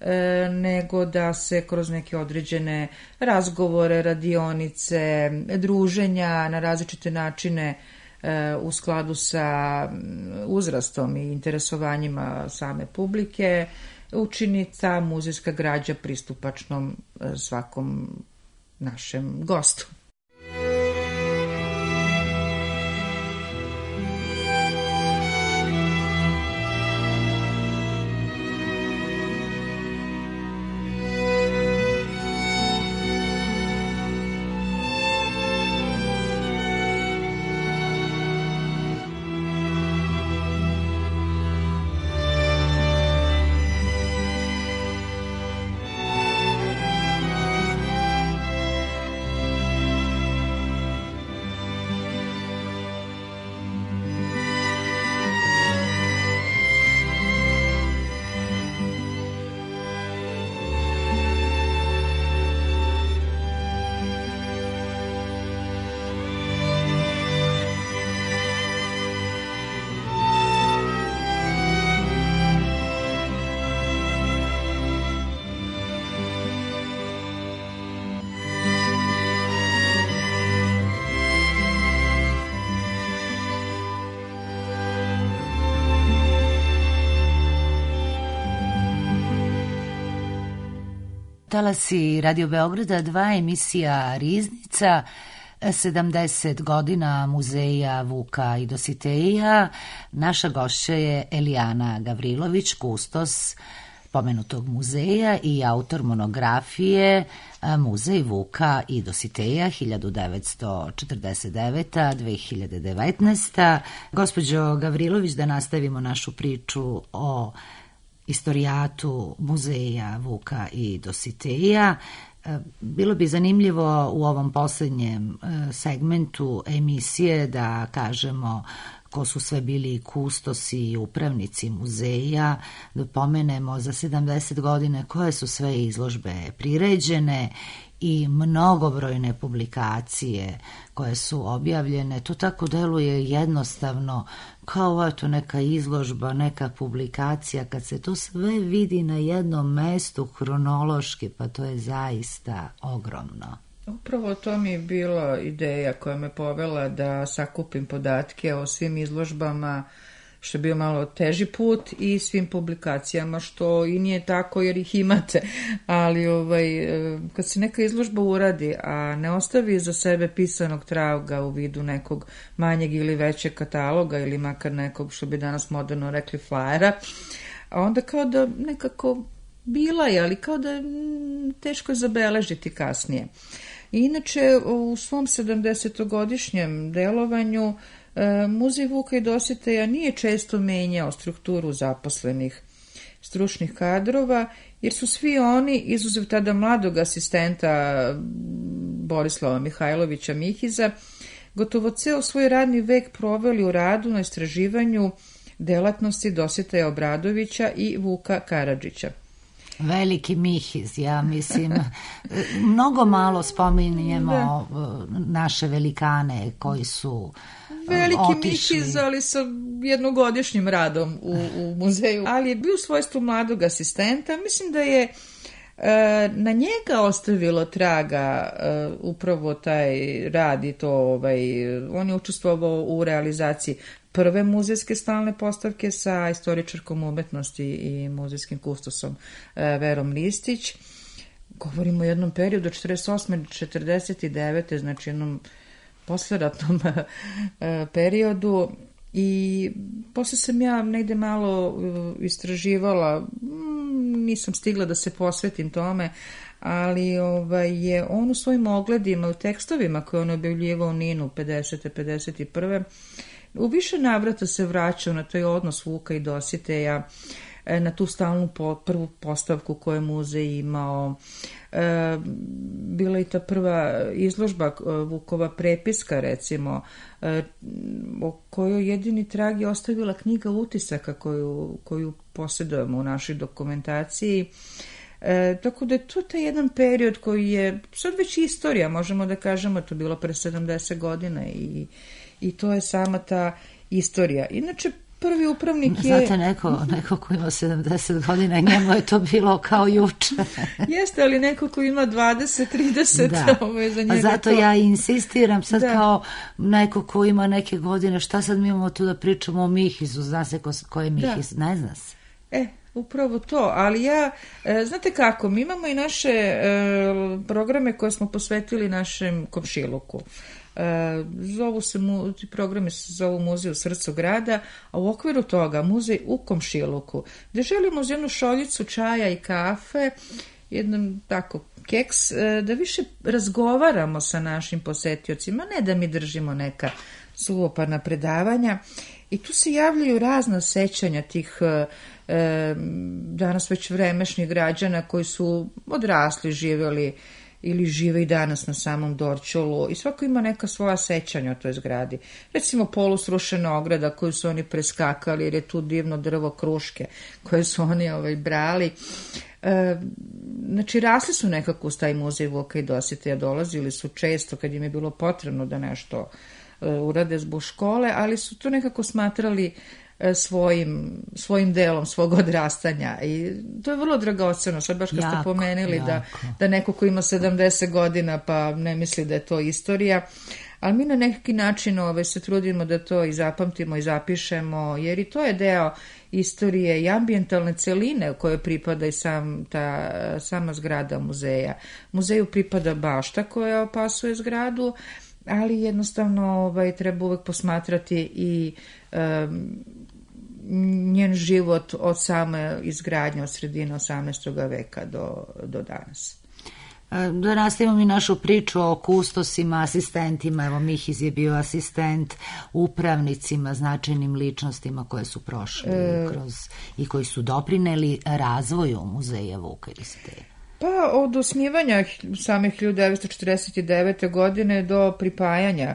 [SPEAKER 6] e, nego da se kroz neke određene razgovore, radionice, druženja na različite načine e, u skladu sa uzrastom i interesovanjima same publike učini ta muzejska građa pristupačnom e, svakom našem gostu.
[SPEAKER 1] Talasi Radio Beograda dva, emisija Riznica, sedamdeset godina muzeja Vuka i Dositeja. Naša gošća je Elijana Gavrilović, kustos pomenutog muzeja i autor monografije Muzej Vuka i Dositeja hiljadu devetsto četrdeset deveta do dve hiljade devetnaeste. Gospođo Gavrilović, da nastavimo našu priču o istorijatu muzeja Vuka i Dositeja. Bilo bi zanimljivo u ovom posljednjem segmentu emisije da kažemo ko su sve bili kustosi i upravnici muzeja, da pomenemo za sedamdeset godine koje su sve izložbe priređene i mnogobrojne publikacije koje su objavljene. To tako deluje jednostavno, kao eto neka izložba, neka publikacija, kad se to sve vidi na jednom mestu hronološki, pa to je zaista ogromno.
[SPEAKER 6] Upravo to mi je bila ideja koja me povela da sakupim podatke o svim izložbama, što je bio malo teži put, i svim publikacijama, što i nije tako jer ih imate, ali ovaj, kad se neka izložba uradi, a ne ostavi za sebe pisanog traga u vidu nekog manjeg ili većeg kataloga ili makar nekog, što bi danas moderno rekli, flajera, a onda kao da nekako bila je, ali kao da teško je zabeležiti kasnije. Inače, u svom sedamdesetogodišnjem delovanju Muzej Vuka i Dositeja nije često menjao strukturu zaposlenih stručnih kadrova, jer su svi oni, izuzev tada mladog asistenta Borislava Mihajlovića Mihiza, gotovo ceo svoj radni vek proveli u radu na istraživanju delatnosti Dositeja Obradovića i Vuka Karadžića.
[SPEAKER 1] Veliki Mihiz, ja mislim, mnogo malo spominjemo da. naše velikane koji su
[SPEAKER 6] Veliki
[SPEAKER 1] otišli.
[SPEAKER 6] Mihiz, ali sa jednogodišnjim radom u, u muzeju, ali je bio u svojstvu mladog asistenta. Mislim da je e, na njega ostavilo traga e, upravo taj rad i to, ovaj, on je učestvovao u realizaciji prve muzejske stalne postavke sa istoričarkom umetnosti i muzejskim kustosom e, Verom Ristić. Govorimo o jednom periodu od četrdeset osme do četrdeset devete, znači jednom posleratnom periodu, i posle sam ja negde malo istraživala, nisam stigla da se posvetim tome, ali ovaj, je on u svojim ogledima, u tekstovima koje on objavljivao u Ninu pedesete pedeset prve u više navrata se vraćao na taj odnos Vuka i Dositeja. na tu stalnu po, prvu postavku koju je muzej imao. E, bila je ta prva izložba Vukova prepiska, recimo, e, o kojoj jedini trag je ostavila knjiga utisaka koju, koju posjedujemo u našoj dokumentaciji. E, tako da je to taj jedan period koji je sad već istorija, možemo da kažemo, to je bilo pre sedamdeset godina i, i to je sama ta istorija. Inače, prvi upravnik je...
[SPEAKER 1] Znate, neko, neko ko ima sedamdeset godina, njemu je to bilo kao juče.
[SPEAKER 6] Jeste, ali neko ko ima dvadeset trideset,
[SPEAKER 1] da.
[SPEAKER 6] Ovo je za njega.
[SPEAKER 1] A zato
[SPEAKER 6] to...
[SPEAKER 1] ja insistiram sad
[SPEAKER 6] da.
[SPEAKER 1] Kao neko ko ima neke godine, šta sad mi imamo tu da pričamo o Mihizu, zna se ko, ko je Mihiz, da. Ne zna se.
[SPEAKER 6] E, upravo to, ali ja, e, znate kako, mi imamo i naše e, programe koje smo posvetili našem komšiluku. E, zovu se, mu, ti programi se zovu Muzej u srcu grada, a u okviru toga Muzej u komšiluku, gde želimo uz jednu šoljicu čaja i kafe, jednom tako keks, e, da više razgovaramo sa našim posetiocima, ne da mi držimo neka suvoparna predavanja. I tu se javljaju razna sećanja tih e, danas već vremešnih građana koji su odrasli, živjeli ili žive i danas na samom Dorćolu i svako ima neka svoja sećanja o toj zgradi. Recimo polusrušena ograda koju su oni preskakali jer je tu divno drvo kruške koje su oni ovaj, brali. E, znači rasli su nekako uz taj muzej Vuka i Dositeja, dolazili su često kad im je bilo potrebno da nešto urade zbog škole, ali su to nekako smatrali svojim, svojim delom svog odrastanja i to je vrlo dragoceno. Sad baš kad jako, ste pomenuli da, da neko ko ima sedamdeset godina pa ne misli da je to istorija, ali mi na neki način ove, se trudimo da to i zapamtimo i zapišemo, jer i to je deo istorije i ambijentalne celine u kojoj pripada i sam, ta, sama zgrada muzeja. Muzeju pripada bašta koja opasuje zgradu, ali jednostavno ovaj, treba uvek posmatrati i um, njen život od same izgradnje, od sredine osamnaestog veka do, do danas.
[SPEAKER 1] Da nastavimo mi našu priču o kustosima, asistentima. Evo, Mihiz je bio asistent upravnicima, značajnim ličnostima koje su prošli e... kroz i koji su doprineli razvoju muzeja Vuka i Dositeja.
[SPEAKER 6] Pa od osnivanja same hiljadu devetsto četrdeset devete. godine do pripajanja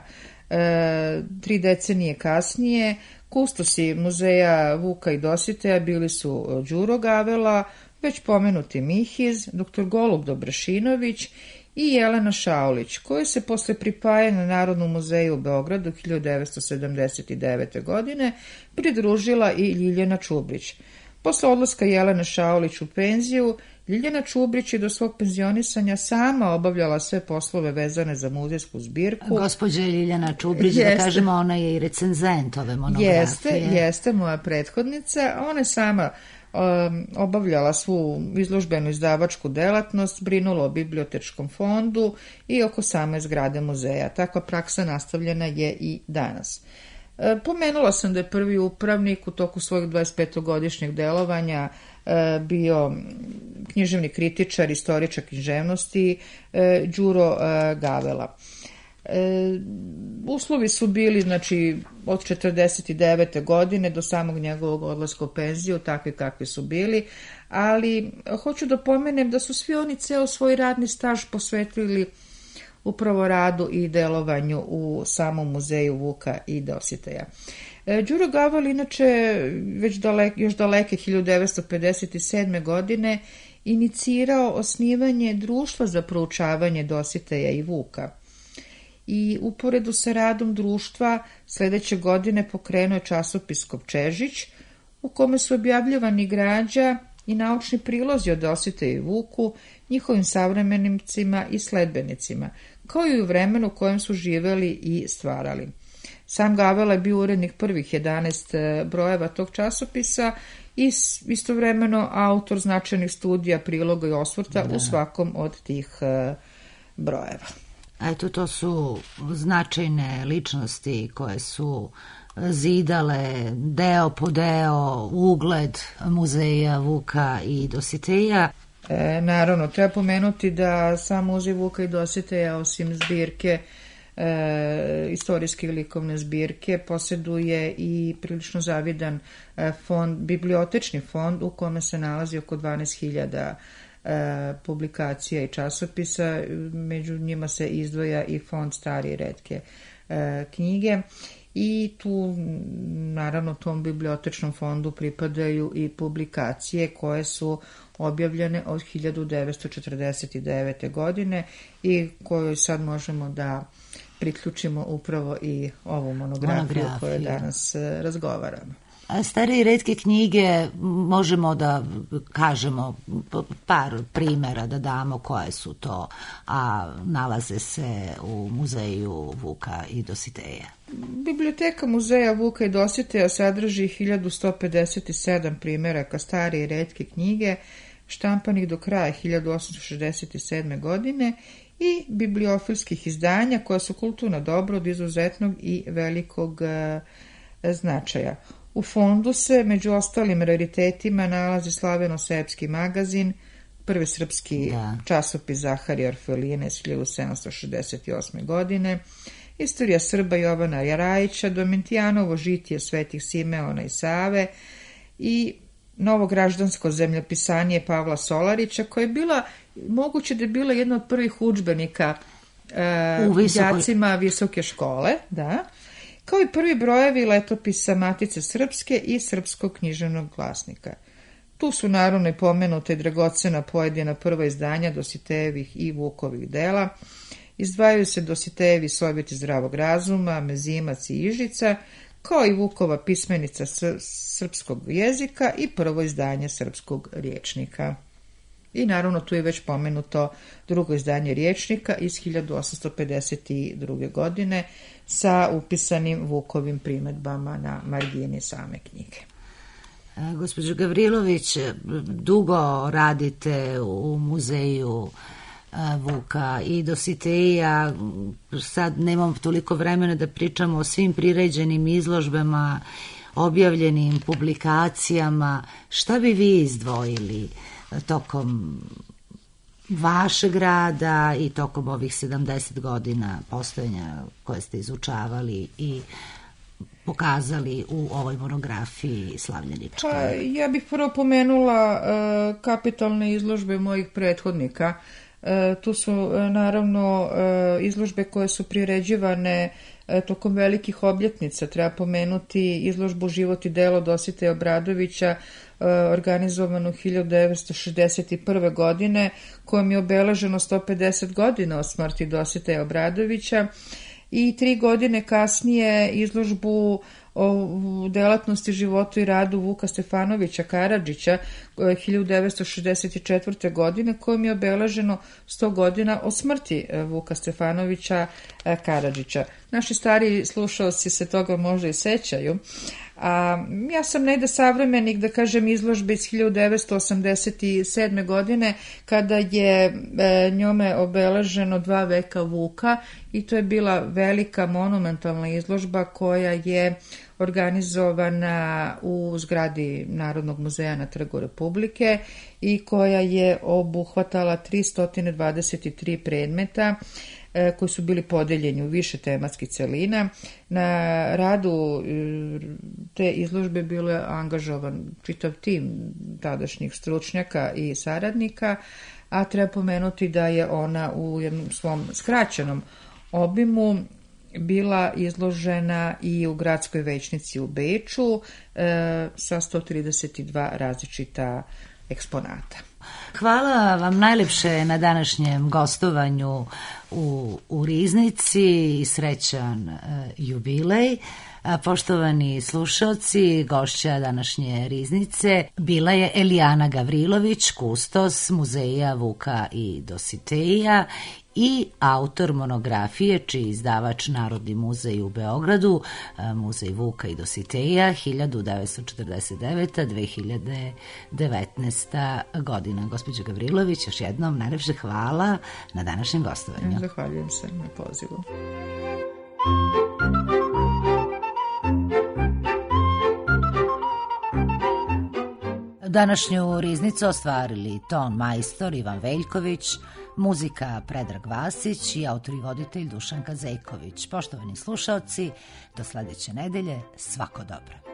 [SPEAKER 6] e, tri decenije kasnije, kustosi muzeja Vuka i Dositeja bili su Đuro Gavela, već pomenuti Mihiz, doktor Golub Dobrašinović i Jelena Šaulić, koji se posle pripajanja Narodnom muzeju u Beogradu hiljadu devetsto sedamdeset devete. godine pridružila i Ljiljana Čubrić. Posle odlaska Jelene Šaulić u penziju, Ljiljana Čubrić je do svog penzionisanja sama obavljala sve poslove vezane za muzejsku zbirku.
[SPEAKER 1] Gospođa Ljiljana Čubrić, jeste. Da kažemo, ona je i recenzent ove monografije.
[SPEAKER 6] Jeste, jeste moja prethodnica. Ona je sama um, obavljala svu izložbenu izdavačku delatnost, brinula o bibliotečkom fondu i oko same zgrade muzeja. Takva praksa nastavljena je i danas. Pomenula sam da je prvi upravnik u toku svojeg dvadesetpetogodišnjeg delovanja bio književni kritičar, istoričar književnosti Đuro Gavela. Uslovi su bili, znači, od četrdeset devete. godine do samog njegovog odlaska u penziju, takvi kakvi su bili, ali hoću da pomenem da su svi oni ceo svoj radni staž posvetili upravo radu i delovanju u samom muzeju Vuka i Dositeja. Đuro Gavel, inače, već dalek, još daleke hiljadu devetsto pedeset sedme. godine inicirao osnivanje društva za proučavanje Dositeja i Vuka. I uporedu sa radom društva sledeće godine pokrenuo je časopis Kovčežić, u kome su objavljivani građa i naučni prilozi o Dositeju i Vuku, njihovim savremenicima i sledbenicima, kao i u vremenu u kojem su živeli i stvarali. Sam Gavela je bio urednik prvih jedanaest brojeva tog časopisa i istovremeno autor značajnih studija, priloga i osvrta da. u svakom od tih brojeva.
[SPEAKER 1] Eto, to su značajne ličnosti koje su zidale deo po deo ugled muzeja Vuka i Dositeja.
[SPEAKER 6] E, naravno, treba pomenuti da sam muzej Vuka i Dositeja, osim zbirke e, istorijske i likovne zbirke, posjeduje i prilično zavidan e, fond, bibliotečni fond u kome se nalazi oko dvanaest hiljada e, publikacija i časopisa, među njima se izdvaja i fond stare i retke e, knjige. I tu, naravno, tom bibliotečnom fondu pripadaju i publikacije koje su objavljene od hiljadu devetsto četrdeset devete. godine i koju sad možemo da priključimo upravo i ovu monografiju o kojoj danas razgovaramo.
[SPEAKER 1] Stare i retke knjige, možemo da kažemo par primjera, da damo koje su to, a nalaze se u muzeju Vuka i Dositeja.
[SPEAKER 6] Biblioteka muzeja Vuka i Dositeja sadrži hiljadu sto pedeset sedam primjeraka stare i retke knjige, štampanih do kraja hiljadu osamsto šezdeset sedme. godine i bibliofilskih izdanja koja su kulturno dobro od izuzetnog i velikog e, značaja. U fondu se među ostalim raritetima nalazi slaveno-serbski magazin, prvi srpski da. časopis Zaharija Orfelina iz hiljadu sedamsto šezdeset osme. godine, istorija Srba Jovana Jarajića, Domitijanovo žitije Svetih Simeona i Save i novo građansko zemljopisanje Pavla Solarića, koja je bila, moguće da je bila jedna od prvih udžbenika e, đacima visoke škole, da, kao i prvi brojevi letopisa Matice Srpske i Srpskog književnog glasnika. Tu su naravno i pomenute dragocena pojedina prva izdanja Dositejevih i Vukovih dela. Izdvajaju se Dositejevi Sovjeti zdravog razuma, Mezimac i Ižica, kao i Vukova pismenica srpskog jezika i prvo izdanje srpskog rječnika. I naravno tu je već pomenuto drugo izdanje rječnika iz hiljadu osamsto pedeset druge. godine sa upisanim Vukovim primedbama na margini same knjige.
[SPEAKER 1] Gospođo Gavrilović, dugo radite u muzeju Vuka i Dositeja, sad nemam toliko vremena da pričamo o svim priređenim izložbama, objavljenim publikacijama. Šta bi vi izdvojili tokom vašeg rada i tokom ovih sedamdeset godina postojanja koje ste izučavali i pokazali u ovoj monografiji slavljeničkoj?
[SPEAKER 6] Pa, ja bih prvo pomenula uh, kapitalne izložbe mojih prethodnika. Uh, tu su uh, naravno uh, izložbe koje su priređivane uh, tokom velikih obljetnica. Treba pomenuti izložbu Život i delo Dositeja Obradovića, organizovanu hiljadu devetsto šezdeset prve. godine, kojom je obeleženo sto pedeset godina od smrti Dositeja Obradovića, i tri godine kasnije izložbu o delatnosti, životu i radu Vuka Stefanovića Karadžića hiljadu devetsto šezdeset četvrte. godine, kojom je obeleženo sto godina od smrti Vuka Stefanovića Karadžića. Naši stariji slušalci se toga možda i sećaju. A, ja sam negde savremenik, da kažem, izložbe iz hiljadu devetsto osamdeset sedme. godine, kada je e, njome obeleženo dva veka Vuka, i to je bila velika monumentalna izložba koja je organizovana u zgradi Narodnog muzeja na Trgu Republike i koja je obuhvatala tristo dvadeset tri predmeta koji su bili podeljeni u više tematskih celina. Na radu te izložbe bilo je angažovan čitav tim tadašnjih stručnjaka i saradnika, a treba pomenuti da je ona u jednom svom skraćenom obimu bila izložena i u gradskoj većnici u Beču e, sa sto trideset dva različita eksponata.
[SPEAKER 1] Hvala vam najlepše na današnjem gostovanju u, u Riznici i srećan e, jubilej. A, poštovani slušalci, gošća današnje Riznice bila je Elijana Gavrilović, kustos Muzeja Vuka i Dositeja i autor monografije, čiji izdavač Narodni muzej u Beogradu, Muzej Vuka i Dositeja hiljadu devetsto četrdeset devete do dve hiljade devetnaeste. godina. Gospođo Gavrilović, još jednom najlepše hvala na današnjem gostovanju.
[SPEAKER 6] Zahvaljujem se na pozivu.
[SPEAKER 1] Današnju Riznicu ostvarili ton majstor Ivan Veljković, Muzika Predrag Vasić i autor i voditelj Dušanka Zejković. Poštovani slušaoci, do sledeće nedelje, svako dobro.